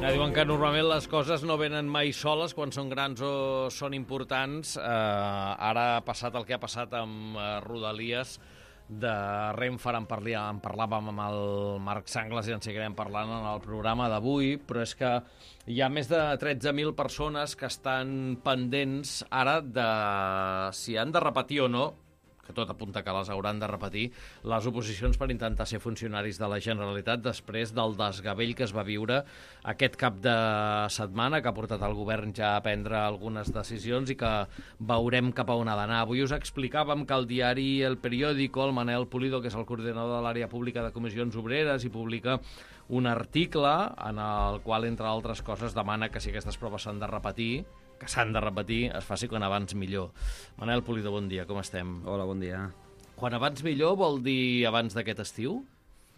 Diuen que normalment les coses no venen mai soles quan són grans o són importants. Ara ha passat el que ha passat amb Rodalies de Renfe. En parlàvem amb el Marc Sanglas i en seguirem parlant en el programa d'avui, però és que hi ha més de 13.000 persones que estan pendents ara de si han de repetir o no, que tot apunta que les hauran de repetir, les oposicions per intentar ser funcionaris de la Generalitat després del desgavell que es va viure aquest cap de setmana, que ha portat el govern ja a prendre algunes decisions i que veurem cap a on ha d'anar. Avui us explicàvem que el diari El Periódico, el Manel Pulido, que és el coordinador de l'àrea pública de comissions obreres, i publica un article en el qual, entre altres coses, demana que si aquestes proves s'han de repetir, es faci quan abans millor. Manel Pulido, bon dia, com estem? Hola, bon dia. Quan abans millor vol dir abans d'aquest estiu?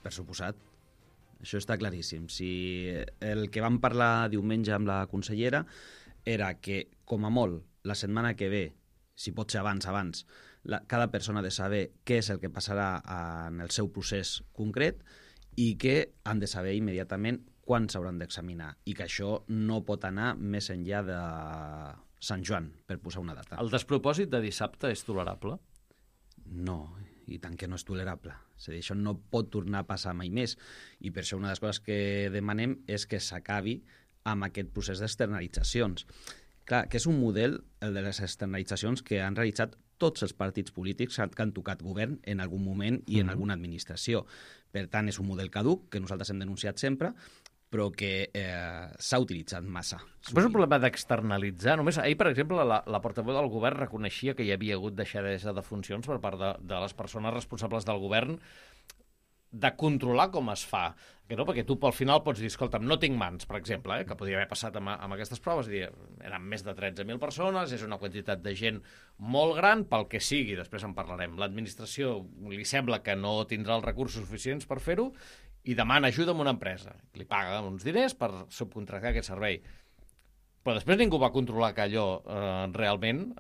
Per suposat. Això està claríssim. Si el que vam parlar diumenge amb la consellera era que, com a molt, la setmana que ve, si pot ser abans, cada persona ha de saber què és el que passarà en el seu procés concret i que han de saber immediatament quan s'hauran d'examinar, i que això no pot anar més enllà de Sant Joan, per posar una data. El despropòsit de dissabte és tolerable? No, i tant que no és tolerable. És a dir, això no pot tornar a passar mai més, i per això una de les coses que demanem és que s'acabi amb aquest procés d'externalitzacions. Clar, que és un model, el de les externalitzacions, que han realitzat tots els partits polítics que han tocat govern en algun moment i en alguna administració. Per tant, és un model caduc, que nosaltres hem denunciat sempre, però que s'ha utilitzat massa. Però és un problema d'externalitzar. Només ahir, per exemple, la portaveu del govern reconeixia que hi havia hagut deixadesa de funcions per part de les persones responsables del govern de controlar com es fa. Que no? Perquè tu al final pots dir, escolta'm, no tinc mans, per exemple, que podria haver passat amb aquestes proves, i dir, eren més de 13.000 persones, és una quantitat de gent molt gran, pel que sigui, després en parlarem. L'administració li sembla que no tindrà els recursos suficients per fer-ho i demana ajuda a una empresa. Li paga uns diners per subcontractar aquest servei. Però després ningú va controlar que allò realment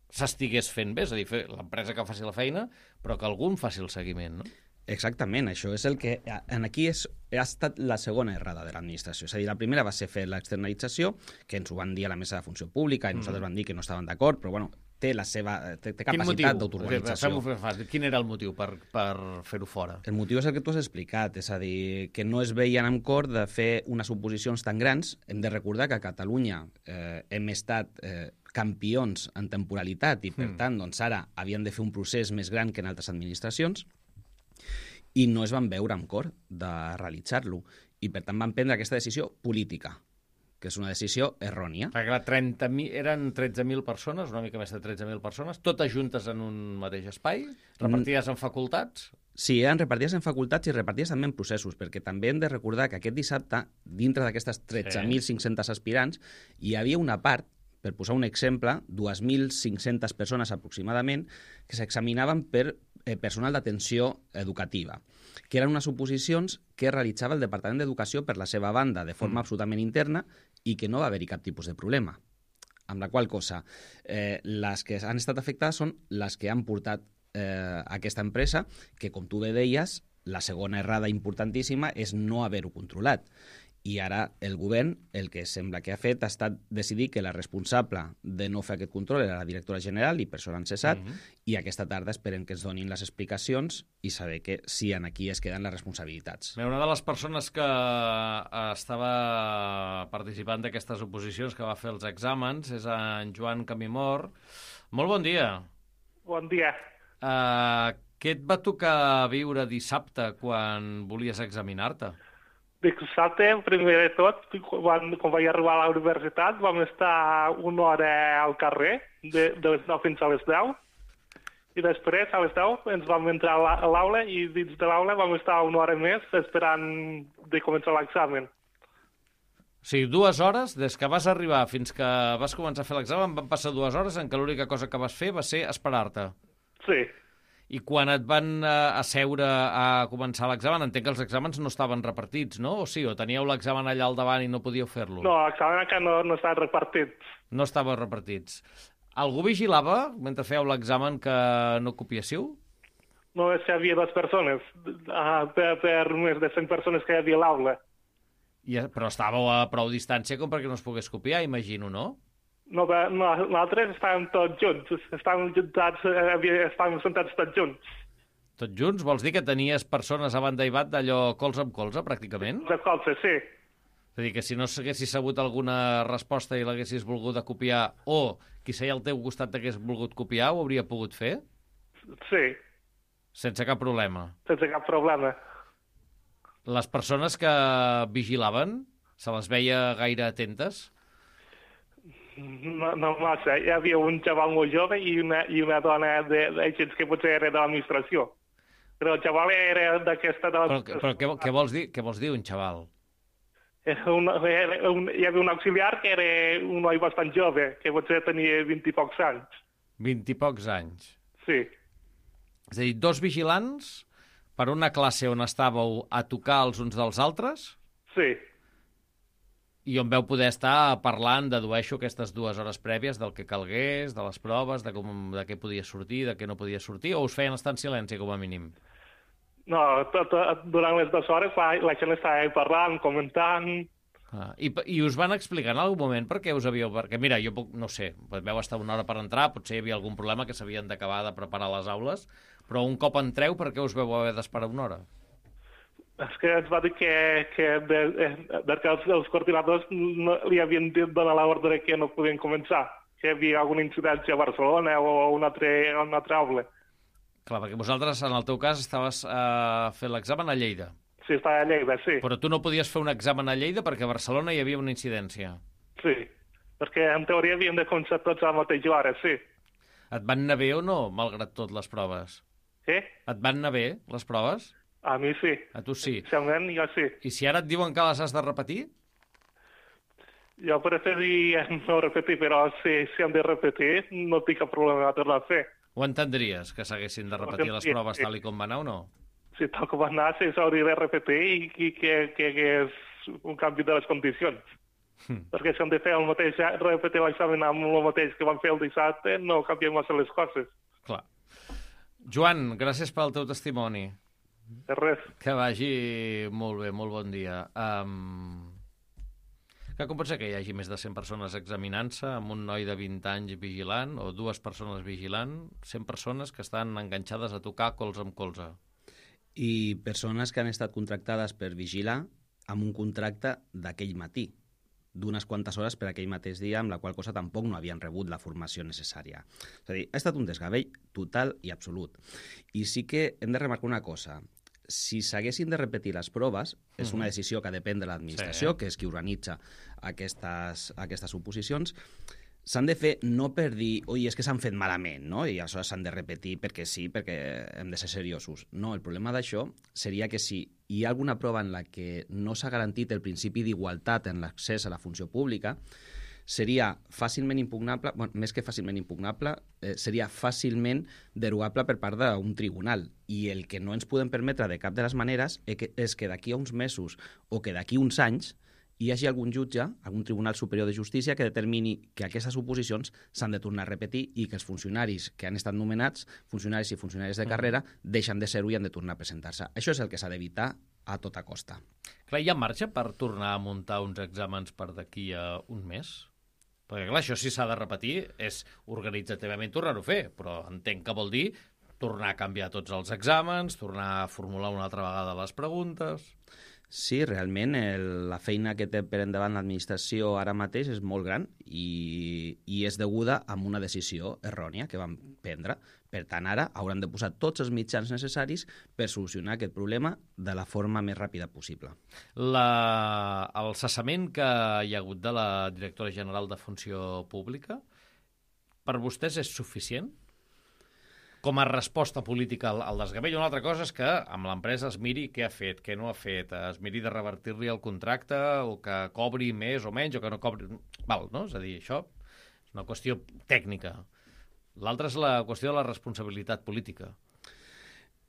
s'estigués fent bé, és a dir, l'empresa que faci la feina, però que algú en faci el seguiment, no? Exactament, això és el que aquí ha estat la segona errada de l'administració. És a dir, la primera va ser fer l'externalització, que ens ho van dir a la mesa de funció pública i nosaltres vam dir que no estaven d'acord, però bueno, té capacitat d'autoorganització. Quin era el motiu per fer-ho fora? El motiu és el que tu has explicat, és a dir, que no es veien amb cor de fer unes oposicions tan grans. Hem de recordar que a Catalunya hem estat campions en temporalitat i, per tant, doncs ara havien de fer un procés més gran que en altres administracions, i no es van veure amb cor de realitzar-lo. I, per tant, van prendre aquesta decisió política, que és una decisió errònia. Perquè eren 13.000 persones, una mica més de 13.000 persones, totes juntes en un mateix espai, repartides en facultats? Sí, eren repartides en facultats i repartides també en processos, perquè també hem de recordar que aquest dissabte, dintre d'aquestes 13.500 aspirants, hi havia una part, per posar un exemple, 2.500 persones aproximadament, que s'examinaven per personal d'atenció educativa, que eren unes oposicions que realitzava el Departament d'Educació per la seva banda, de forma absolutament interna, i que no va haver-hi cap tipus de problema. Amb la qual cosa, les que han estat afectades són les que han portat aquesta empresa, que, com tu bé deies, la segona errada importantíssima és no haver-ho controlat. I ara el govern, el que sembla que ha fet, ha estat decidir que la responsable de no fer aquest control era la directora general, i per això l'han cessat, i aquesta tarda esperem que ens donin les explicacions i saber que si aquí es queden les responsabilitats. Una de les persones que estava participant d'aquestes oposicions, que va fer els exàmens, és en Joan Camimor. Molt bon dia. Bon dia. Què et va tocar viure dissabte quan volies examinar-te? Dissabte, primer de tot, quan vaig arribar a la universitat, vam estar una hora al carrer, de les 9 fins a les 10, i després, a les 10, ens vam entrar a l'aula, i dins de l'aula vam estar una hora més esperant de començar l'examen. O sigui, 2 hores, des que vas arribar fins que vas començar a fer l'examen, van passar 2 hores en què l'única cosa que vas fer va ser esperar-te. Sí. I quan et van asseure a començar l'examen, entenc que els exàmens no estaven repartits, no? O sí, o teníeu l'examen allà al davant i no podíeu fer-lo? No, l'examen encara no estava repartit. No estava repartits. Algú vigilava, mentre fèieu l'examen, que no copiéssiu? Només hi havia 2 persones, per més de 100 persones que hi havia a l'aula. Però estàveu a prou distància com perquè no es pogués copiar, imagino, no? No, nosaltres estàvem tots junts, estàvem sentats tots junts. Tots junts? Vols dir que tenies persones a banda i bat d'allò colze amb colze, pràcticament? De colze, sí. És a dir, que si no s'haguessis sabut alguna resposta i l'haguessis volgut copiar, o qui seia al teu costat t'hagués volgut copiar, ho hauria pogut fer? Sí. Sense cap problema? Sense cap problema. Les persones que vigilaven, se les veia gaire atentes? No massa. Hi havia un xaval molt jove i una dona d'agents que potser era de l'administració. Però el xaval era d'aquesta... Però què vols dir? Què vols dir, un xaval? Hi havia un auxiliar que era un noi bastant jove, que potser tenia 20 i pocs anys. 20 i pocs anys? Sí. És a dir, 2 vigilants per una classe on estàveu a tocar els uns dels altres? Sí. I on veu poder estar parlant, dedueixo, aquestes 2 hores prèvies del que calgués, de les proves, de què podia sortir, de què no podia sortir, o us feien estar en silenci, com a mínim? No, durant les 2 hores la gent estava parlant, comentant... I us van explicar en algun moment per què us havíeu... Perquè, mira, jo puc, no sé, veu estar 1 hora per entrar, potser hi havia algun problema que s'havien d'acabar de preparar les aules, però un cop entreu, per què us veu haver d'esperar 1 hora? És que ens va dir que els coordinadors li havien dit donar l'ordre que no podien començar, que hi havia alguna incidència a Barcelona o una altra aula. Clar, perquè vosaltres, en el teu cas, estaves fent l'examen a Lleida. Sí, estava a Lleida, sí. Però tu no podies fer un examen a Lleida perquè a Barcelona hi havia una incidència. Sí, perquè en teoria havien de començar tots a la mateixa hora, sí. Et van anar bé o no, malgrat tot, les proves? Què? Et van anar bé, les proves? A mi sí. A tu sí? Especialment jo sí. I si ara et diuen que les has de repetir? Jo preferiria no repetir, però si han de repetir no tinc cap problema de tornar a fer. Ho entendries, que s'haguessin de repetir les proves tal i com va anar o no? Si tal com va anar, sí, s'hauria de repetir i que és un canvi de les condicions. Perquè si han de fer repetir l'examen amb el mateix que van fer el dissabte, no canvien massa les coses. Clar. Joan, gràcies pel teu testimoni. De res. Que vagi molt bé, molt bon dia. Com pot ser que hi hagi més de 100 persones examinant-se amb un noi de 20 anys vigilant o 2 persones vigilant, 100 persones que estan enganxades a tocar colze amb colze? I persones que han estat contractades per vigilar amb un contracte d'aquell matí, d'unes quantes hores per aquell mateix dia, amb la qual cosa tampoc no havien rebut la formació necessària. És a dir, ha estat un desgavell total i absolut. I sí que hem de remarcar una cosa. Si s'haguessin de repetir les proves, és una decisió que depèn de l'administració, que és qui organitza aquestes oposicions, s'han de fer no per dir, oi, és que s'han fet malament, no? I aleshores s'han de repetir perquè sí, perquè hem de ser seriosos. No, el problema d'això seria que si hi ha alguna prova en la que no s'ha garantit el principi d'igualtat en l'accés a la funció pública, seria fàcilment impugnable, més que fàcilment impugnable, seria fàcilment derogable per part d'un tribunal. I el que no ens podem permetre de cap de les maneres és que d'aquí a uns mesos o que d'aquí a uns anys hi hagi algun jutge, algun tribunal superior de justícia que determini que aquestes oposicions s'han de tornar a repetir i que els funcionaris que han estat nomenats, funcionaris i funcionaris de carrera, deixen de ser-ho i han de tornar a presentar-se. Això és el que s'ha d'evitar a tota costa. Clar, hi ha marxa per tornar a muntar uns exàmens per d'aquí a un mes? Perquè, clar, això si s'ha de repetir és organitzativament tornar-ho a fer, però entenc que vol dir tornar a canviar tots els exàmens, tornar a formular una altra vegada les preguntes... Sí, realment la feina que té per endavant l'administració ara mateix és molt gran i és deguda a una decisió errònia que van prendre. Per tant, ara hauran de posar tots els mitjans necessaris per solucionar aquest problema de la forma més ràpida possible. El cessament que hi ha hagut de la directora general de Funció Pública, per vostès és suficient? Com a resposta política al desgavell. Una altra cosa és que amb l'empresa es miri què ha fet, què no ha fet, es miri de revertir-li el contracte o que cobri més o menys o que no cobri... Val, no? És a dir, això és una qüestió tècnica. L'altra és la qüestió de la responsabilitat política.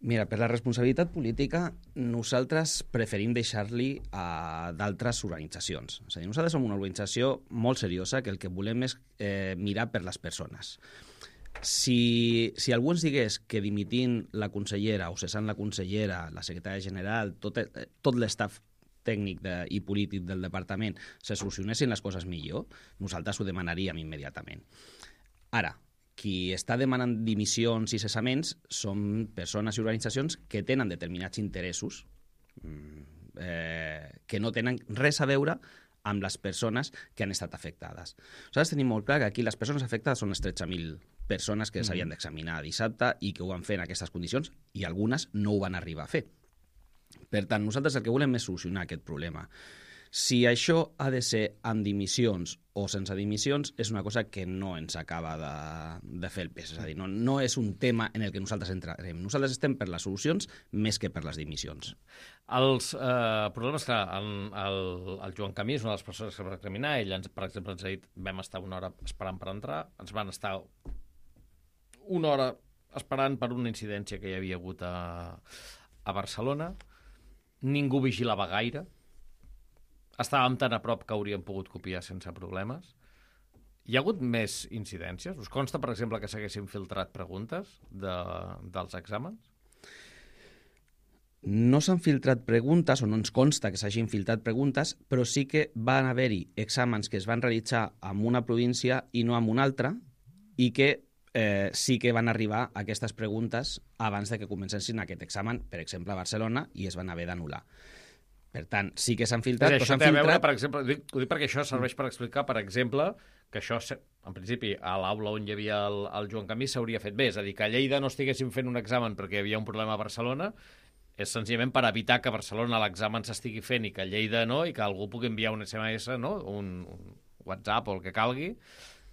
Mira, per la responsabilitat política nosaltres preferim deixar-li a d'altres organitzacions. És a dir, nosaltres som una organització molt seriosa que el que volem és mirar per les persones. Si algú ens digués que dimitint la consellera o cessant la consellera, la secretària general, tot l'estaf tècnic i polític del departament se solucionessin les coses millor, nosaltres ho demanaríem immediatament. Ara, qui està demanant dimissions i cessaments són persones i organitzacions que tenen determinats interessos que no tenen res a veure amb les persones que han estat afectades. Nosaltres tenim molt clar que aquí les persones afectades són les 13.000 persones que s'havien d'examinar dissabte i que ho van fer en aquestes condicions i algunes no ho van arribar a fer. Per tant, nosaltres el que volem és solucionar aquest problema. Si això ha de ser amb dimissions o sense dimissions és una cosa que no ens acaba de fer el pes. És a dir, no és un tema en el que nosaltres entrarem. Nosaltres estem per les solucions més que per les dimissions. Els problemes que el Joan Camí és una de les persones que va examinar. Ell, per exemple, ens ha dit vam estar una hora esperant per entrar, ens van estar una hora esperant per una incidència que hi havia hagut a Barcelona. Ningú vigilava gaire. Estàvem tan a prop que hauríem pogut copiar sense problemes. Hi ha hagut més incidències? Us consta, per exemple, que s'haguessin filtrat preguntes dels exàmens? No s'han filtrat preguntes, o no ens consta que s'hagin filtrat preguntes, però sí que van haver-hi exàmens que es van realitzar en una província i no en una altra, i que sí que van arribar aquestes preguntes abans de que comencessin aquest examen, per exemple, a Barcelona, i es van haver d'anul·lar. Per tant, sí que s'han filtrat, però s'han filtrat... Veure, per exemple, ho dic perquè això serveix per explicar, per exemple, que això, en principi, a l'aula on hi havia el Joan Camí s'hauria fet bé. És a dir, que a Lleida no estiguessin fent un examen perquè hi havia un problema a Barcelona és senzillament per evitar que a Barcelona l'examen s'estigui fent i que a Lleida no, i que algú pugui enviar un SMS, no? un WhatsApp o el que calgui,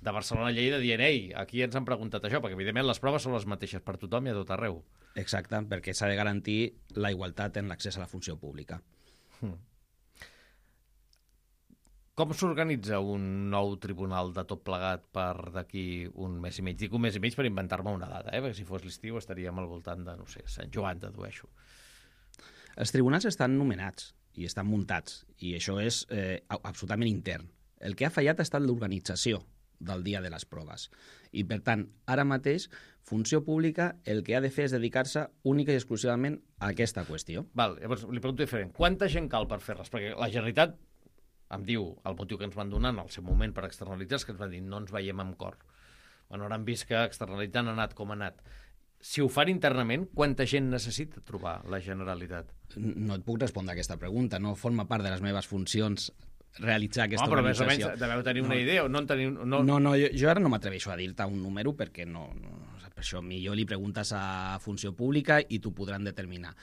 de Barcelona a Lleida dient ei, aquí ens han preguntat això, perquè evidentment les proves són les mateixes per tothom i a tot arreu. Exacte, perquè s'ha de garantir la igualtat en l'accés a la funció pública. Com s'organitza un nou tribunal de tot plegat per d'aquí un mes i mig? Dic un mes i mig per inventar-me una data, perquè si fos l'estiu estaríem al voltant de, no sé, Sant Joan, dedueixo. Els tribunals estan nomenats i estan muntats, i això és absolutament intern. El que ha fallat ha estat l'organització del dia de les proves. I, per tant, ara mateix, Funció Pública el que ha de fer és dedicar-se única i exclusivament a aquesta qüestió. Val, llavors li pregunto diferent. Quanta gent cal per fer res? Perquè la Generalitat em diu el motiu que ens van donar en el seu moment per externalitzar és que ens van dir no ens veiem amb cor. Bueno, ara hem vist que externalitzant ha anat com ha anat. Si ho fan internament, quanta gent necessita trobar la Generalitat? No et puc respondre a aquesta pregunta. No forma part de les meves funcions realitzar aquesta però organització. Més o menys deveu tenir una idea o no en teniu... No, jo ara no m'atreveixo a dir-te un número perquè no, per això millor li preguntes a Funció Pública i t'ho podran determinar.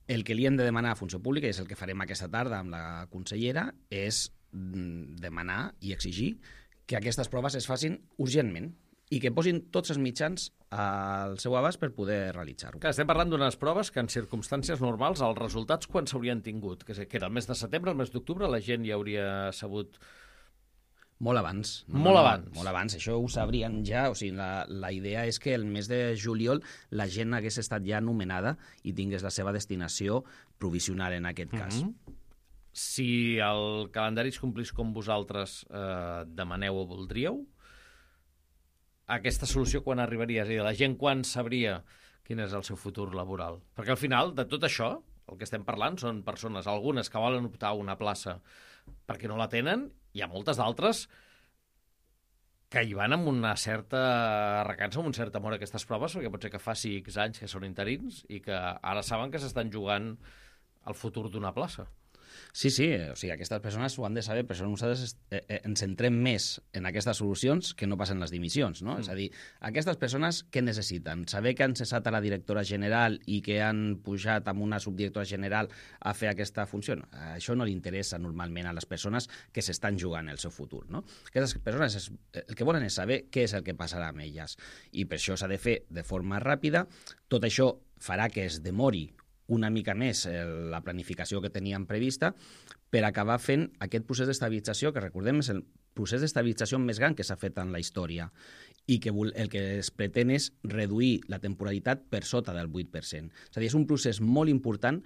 El que li hem de demanar a Funció Pública, i és el que farem aquesta tarda amb la consellera, és demanar i exigir que aquestes proves es facin urgentment i que posin tots els mitjans al seu abast per poder realitzar-ho. Estem parlant d'unes proves que en circumstàncies normals els resultats quan s'haurien tingut? Que era el mes de setembre, el mes d'octubre, la gent ja hauria sabut... Molt abans. Molt abans, això ho sabrien ja. O sigui, la idea és que el mes de juliol la gent hagués estat ja anomenada i tingués la seva destinació provisional en aquest cas. Si el calendari es complís com vosaltres demaneu o voldríeu, aquesta solució quan arribaria? És a dir, la gent quan sabria quin és el seu futur laboral? Perquè al final de tot això, el que estem parlant són persones, algunes que volen optar a una plaça perquè no la tenen, hi ha moltes d'altres que hi van amb una certa recança, amb un cert amor a aquestes proves, perquè pot ser que fa 6 anys que són interins i que ara saben que s'estan jugant el futur d'una plaça. Sí, o sigui, aquestes persones ho han de saber, per això nosaltres ens centrem més en aquestes solucions que no passen les dimissions, no? És a dir, aquestes persones què necessiten? Saber que han cessat a la directora general i que han pujat amb una subdirectora general a fer aquesta funció? Això no li interessa normalment a les persones que s'estan jugant el seu futur, no? Aquestes persones el que volen és saber què és el que passarà amb elles i per això s'ha de fer de forma ràpida. Tot això farà que es demori una mica més la planificació que teníem prevista per acabar fent aquest procés d'estabilització, que recordem és el procés d'estabilització més gran que s'ha fet en la història i que el que es pretén és reduir la temporalitat per sota del 8%. És a dir, és un procés molt important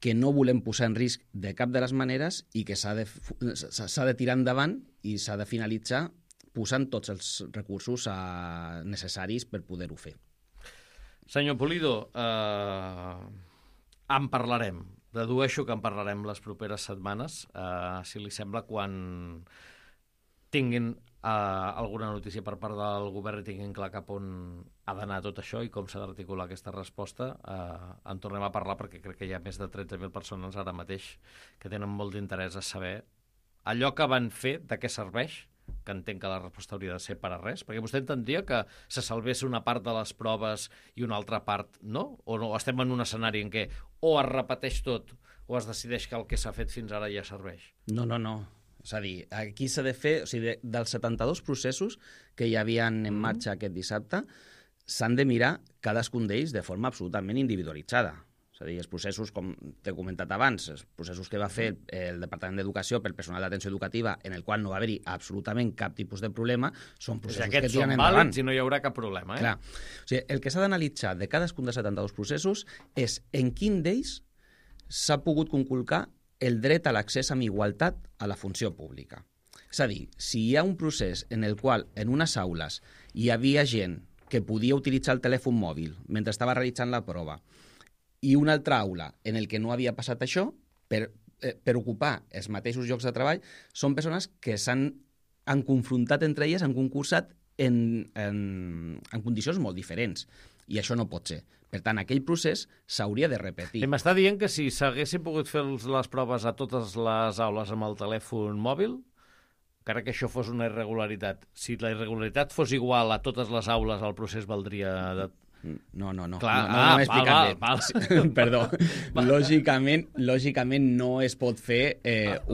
que no volem posar en risc de cap de les maneres i que s'ha de tirar endavant i s'ha de finalitzar posant tots els recursos necessaris per poder-ho fer. Senyor Pulido, en parlarem. Dedueixo que en parlarem les properes setmanes, si li sembla, quan tinguin alguna notícia per part del govern i tinguin clar cap on ha d'anar tot això i com s'ha d'articular aquesta resposta, en tornem a parlar, perquè crec que hi ha més de 13.000 persones ara mateix que tenen molt d'interès a saber allò que van fer, de què serveix, que entenc que la resposta hauria de ser per a res, perquè vostè entendria que se salvés una part de les proves i una altra part no? O no? Estem en un escenari en què o es repeteix tot o es decideix que el que s'ha fet fins ara ja serveix? No. És a dir, aquí s'ha de fer... O sigui, dels 72 processos que hi havia en marxa aquest dissabte, s'han de mirar cadascun d'ells de forma absolutament individualitzada. És a dir, els processos, com t'he comentat abans, els processos que va fer el Departament d'Educació pel personal d'atenció educativa, en el qual no va haver-hi absolutament cap tipus de problema, són processos que tiren endavant. Són vàlids i no hi haurà cap problema. Clar. O sigui, el que s'ha d'analitzar de cadascun dels 72 processos és en quin d'ells s'ha pogut conculcar el dret a l'accés amb igualtat a la funció pública. És a dir, si hi ha un procés en el qual en unes aules hi havia gent que podia utilitzar el telèfon mòbil mentre estava realitzant la prova i una altra aula en el que no havia passat això, per ocupar els mateixos llocs de treball, són persones que han confrontat entre elles, han concursat en condicions molt diferents. I això no pot ser. Per tant, aquell procés s'hauria de repetir. I m'està dient que si s'haguessin pogut fer les proves a totes les aules amb el telèfon mòbil, encara que això fos una irregularitat, si la irregularitat fos igual a totes les aules, el procés valdria... No. Clar, no m'he explicat bé. Perdó. Lògicament no es pot fer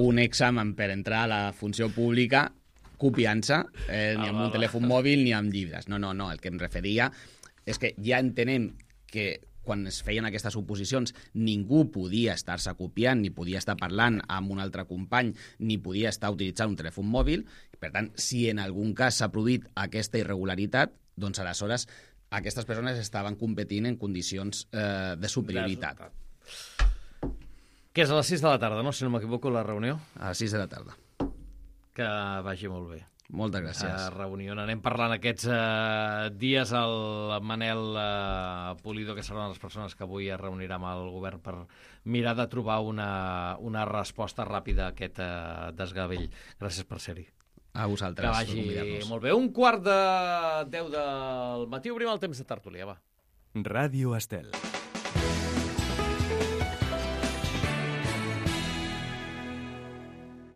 un examen per entrar a la funció pública copiant-se ni amb un telèfon mòbil ni amb llibres. No. El que em referia és que ja entenem que quan es feien aquestes oposicions ningú podia estar-se copiant, ni podia estar parlant amb un altre company, ni podia estar utilitzant un telèfon mòbil. Per tant, si en algun cas s'ha produït aquesta irregularitat, doncs aleshores aquestes persones estaven competint en condicions de superioritat. Que és a les 6 de la tarda, no? Si no m'equivoco, la reunió. A les 6 de la tarda. Que vagi molt bé. Moltes gràcies. Reunió. Anem parlant aquests dies el Manel Pulido, que serà una de les persones que avui es reunirà amb el govern per mirar de trobar una resposta ràpida a aquest desgavell. Gràcies per ser-hi. A vosaltres. Que vagi molt bé. 1:15 del matí obrim el temps de tertúlia, va. Ràdio Estel.